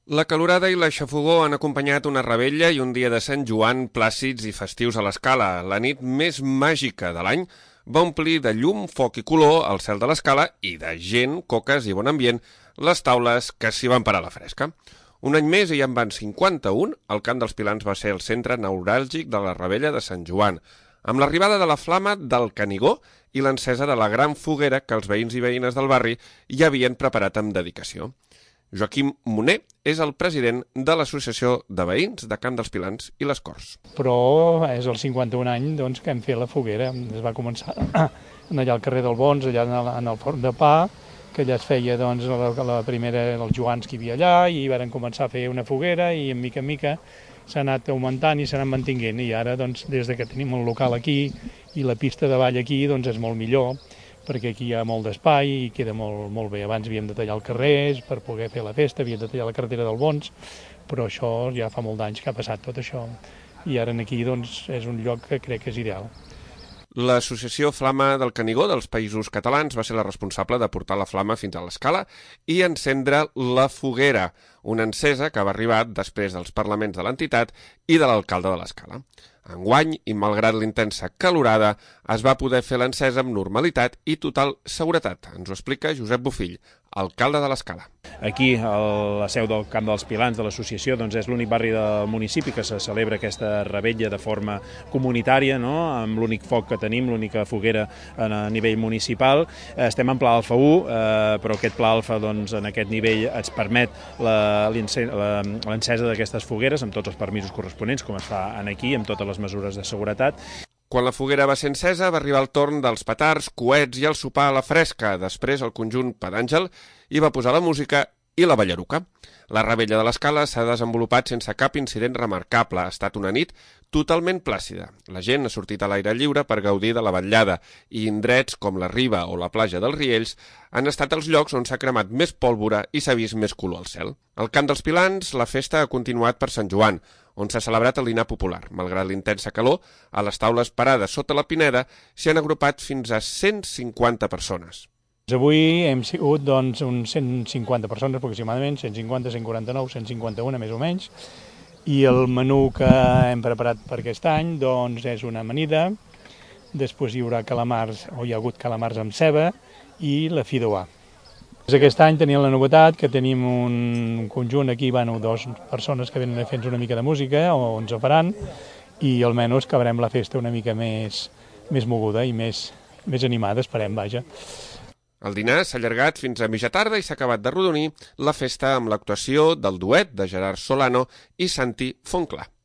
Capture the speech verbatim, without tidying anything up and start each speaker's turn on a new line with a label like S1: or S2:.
S1: La calorada i la xafogor han acompanyat una revetlla i un dia de Sant Joan plàcids i festius a l'Escala. La nit més màgica de l'any va omplir de llum, foc i color el cel de l'Escala i de gent, coques i bon ambient les taules que s'hi van parar a la fresca. Un any més, i en van cinquanta-un, el Camp dels Pilans va ser el centre neuràlgic de la revetlla de Sant Joan, amb l'arribada de la flama del Canigó i l'encesa de la gran foguera que els veïns i veïnes del barri ja havien preparat amb dedicació. Joaquim Moner és el president de l'Associació de Veïns de Camp dels Pilans i les Corts.
S2: Però és el cinquanta-un any doncs, que hem fet la foguera. Es va començar allà al carrer del Bons, allà en el forn de pa, que allà es feia doncs, la, la primera dels Joans que hi havia allà, i varen començar a fer una foguera i en mica en mica s'ha anat augmentant i s'ha anat mantinguent. I ara, doncs, des de que tenim el local aquí i la pista de ball aquí, doncs és molt millor, perquè aquí hi ha molt d'espai i queda molt, molt bé. Abans havíem de tallar el carrer per poder fer la festa, havíem de tallar la carretera del Bons, però això ja fa molt d'anys que ha passat tot això. I ara aquí doncs, és un lloc que crec que és ideal.
S1: L'Associació Flama del Canigó dels Països Catalans va ser la responsable de portar la flama fins a l'Escala i encendre la foguera, una encesa que va arribar després dels parlaments de l'entitat i de l'alcalde de l'Escala. Enguany, i malgrat l'intensa calorada, es va poder fer l'encesa amb normalitat i total seguretat. Ens ho explica Josep Bofill, alcalde de l'Escala.
S3: Aquí, a la seu del Camp dels Pilans de l'associació, doncs és l'únic barri del municipi que se celebra aquesta revetlla de forma comunitària, no? Amb l'únic foc que tenim, l'única foguera a nivell municipal. Estem en pla alfa u, eh, però aquest pla alfa doncs, en aquest nivell ens permet l'encesa d'aquestes fogueres amb tots els permisos corresponents, com es fa aquí, amb totes les mesures de seguretat.
S1: Quan la foguera va ser encesa, va arribar el torn dels petards, coets i el sopar a la fresca. Després, el conjunt Pedàngel hi va posar la música i la ballaruca. La revetlla de l'Escala s'ha desenvolupat sense cap incident remarcable. Ha estat una nit totalment plàcida. La gent ha sortit a l'aire lliure per gaudir de la vetllada i indrets com la Riba o la platja dels Riells han estat els llocs on s'ha cremat més pólvora i s'ha vist més color al cel. Al Camp dels Pilans, la festa ha continuat per Sant Joan, on s'ha celebrat el dinar popular. Malgrat l'intensa calor, a les taules parades sota la pineda s'hi han agrupat fins a cent cinquanta persones.
S2: Avui hem sigut doncs, uns cent cinquanta persones aproximadament, cent cinquanta, cent quaranta-nou, cent cinquanta-un més o menys, i el menú que hem preparat per aquest any doncs, és una amanida, després hi haurà calamars, o hi ha hagut calamars amb ceba, i la fideuà. Aquest any tenim la novetat que tenim un conjunt aquí, bueno, dues persones que venen a fer una mica de música, o ens ho faran, i almenys acabarem la festa una mica més, més moguda i més, més animada, esperem, vaja.
S1: El dinar s'ha allargat fins a mitja tarda i s'ha acabat de rodonir la festa amb l'actuació del duet de Gerard Solano i Santi Fontclar.